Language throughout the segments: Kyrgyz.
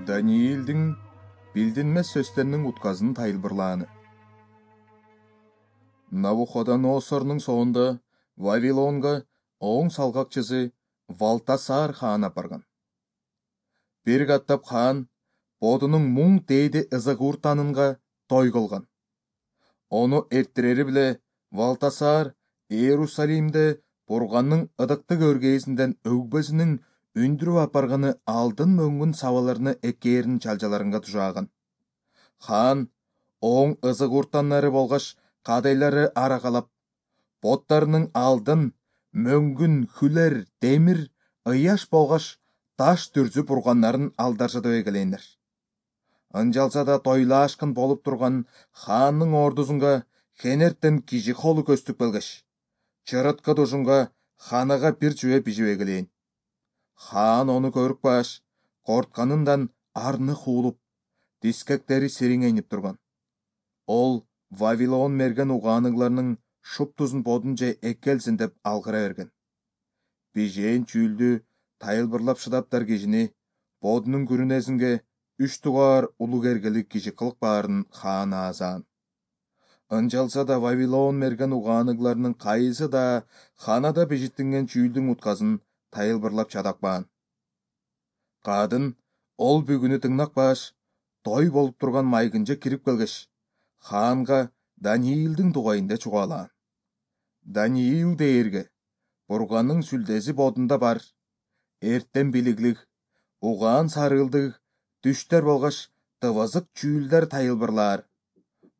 Даниилдин билдинмес сөздөрүнүн утказын тайылбырлааны. Навуходоносордун соонда Вавилонга оң салгакчысы Валтасар хаан апарган. Бир каттап хаан бодунун муң дээди ызыгууртанынга той кылган. Ону эртирери биле Валтасар Иерусалимде Бурганның ыдыктык өргээсинден өгбөсүнүн үндүрүп апарганы алдын мөңгүн сабаларыны экээрин чалжаларынга тужааган. Хаан оң ызыгууртаннары болгаш кадайлары аракалап, боттарынын алдын мөңгүн хүлер, демир, ыяш болгаш таш түрзүп урганнарын алдаржатып эгелейнер. Ынжалса да тойлаашкын болуп турган хаандын ордусунга хенерттен киши колу көстүп келгеш, чырыткы тушунга ханага бир чүбө бижип эгелейин. Хаан ону көрүп калгаш, кортканындан арны хуулуп, дискектери сириңейнип турган. Ол Вавилон мерген угааныгларынын шуптузун бодунча эккелсин деп алгыра берген. Бижээн чүүлдү тайылбырлап шыдаптар кишини бодунун күрүнесинге 3 тугаар улуг эргелик киши кылып баарын хаан аазаан. Ынжалса да Вавилон мерген угааныгларынын кайсы да ханада бижиттинген чүүлдүн утказын тайылбырлап чадакпаан. Кадын ол бүгүнү тыңнакпаш, той болуп турган майгынча кирип келгеш, хаанга Даниилдин тугайында чугаалаан. Даниил дээрге Бурганның сүлдеси бодунда бар, эртен билиглик, угаан сарылдык, түштөр болгаш тыбызык чүүлдер тайылбырлаар,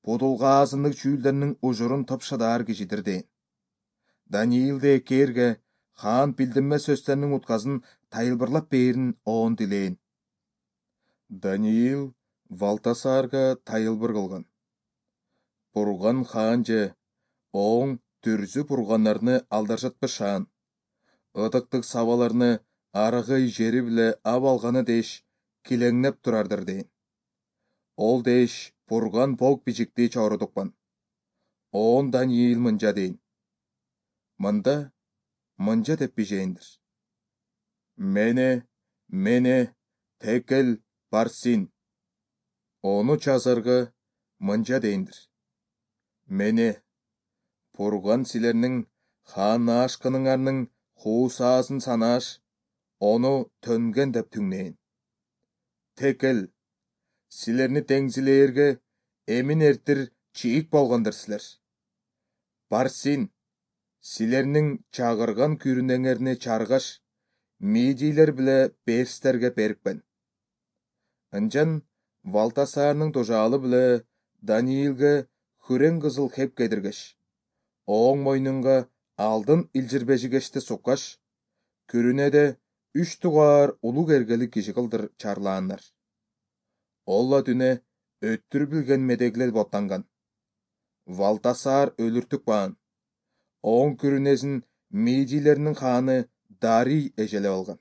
будулга азындык чүүлдеринин ужурун тыпшыдаар кишидир дейин. Даниилди экээрге хаан билдинмес сөздөрүнүн утказын тайылбырлап бээрин оон дилейин. Даниил Валтасарга тайылбыр кылган. Бурган хаанже оң түрзүп урганнарны алдаржатпашаан, ыдыктык сабаларны арыгый жери биле ап алганы дээш килеңнеп турардыр дейин. Ол дээш Бурган бог бижикти чорудукпан. Оон Даниил мынча дейин. Мынча деп бижээндир. Мене, Текел, Парсин. Ону чазарга мынча дейиндир. Мене, Бурган силернин хаанашкыныңарнын хуусаасын санааш, ону төнген деп түңнейин. Текел, силерни теңзилээрге эмин эртир чийик болгондор силер. Парсин, силернин чагырган күрүнеңерни чаргаш, мидийлер биле перстерге берикпен. Ынчан Валтасарнын тожаалы биле Даниилге хүрең кызыл хеп кедиргеш, оң мойнунга алдын илжирбежигешти суккаш, күрүнеде 3 тугаар улуг эргелик киши кылдыр чарлааннар. Олла дүнө өттүр билген медеглер боттанган. Валтасар өлүртүк баан. Оң күрүнесин мидийлеринин хааны Дарий эжелеп алган.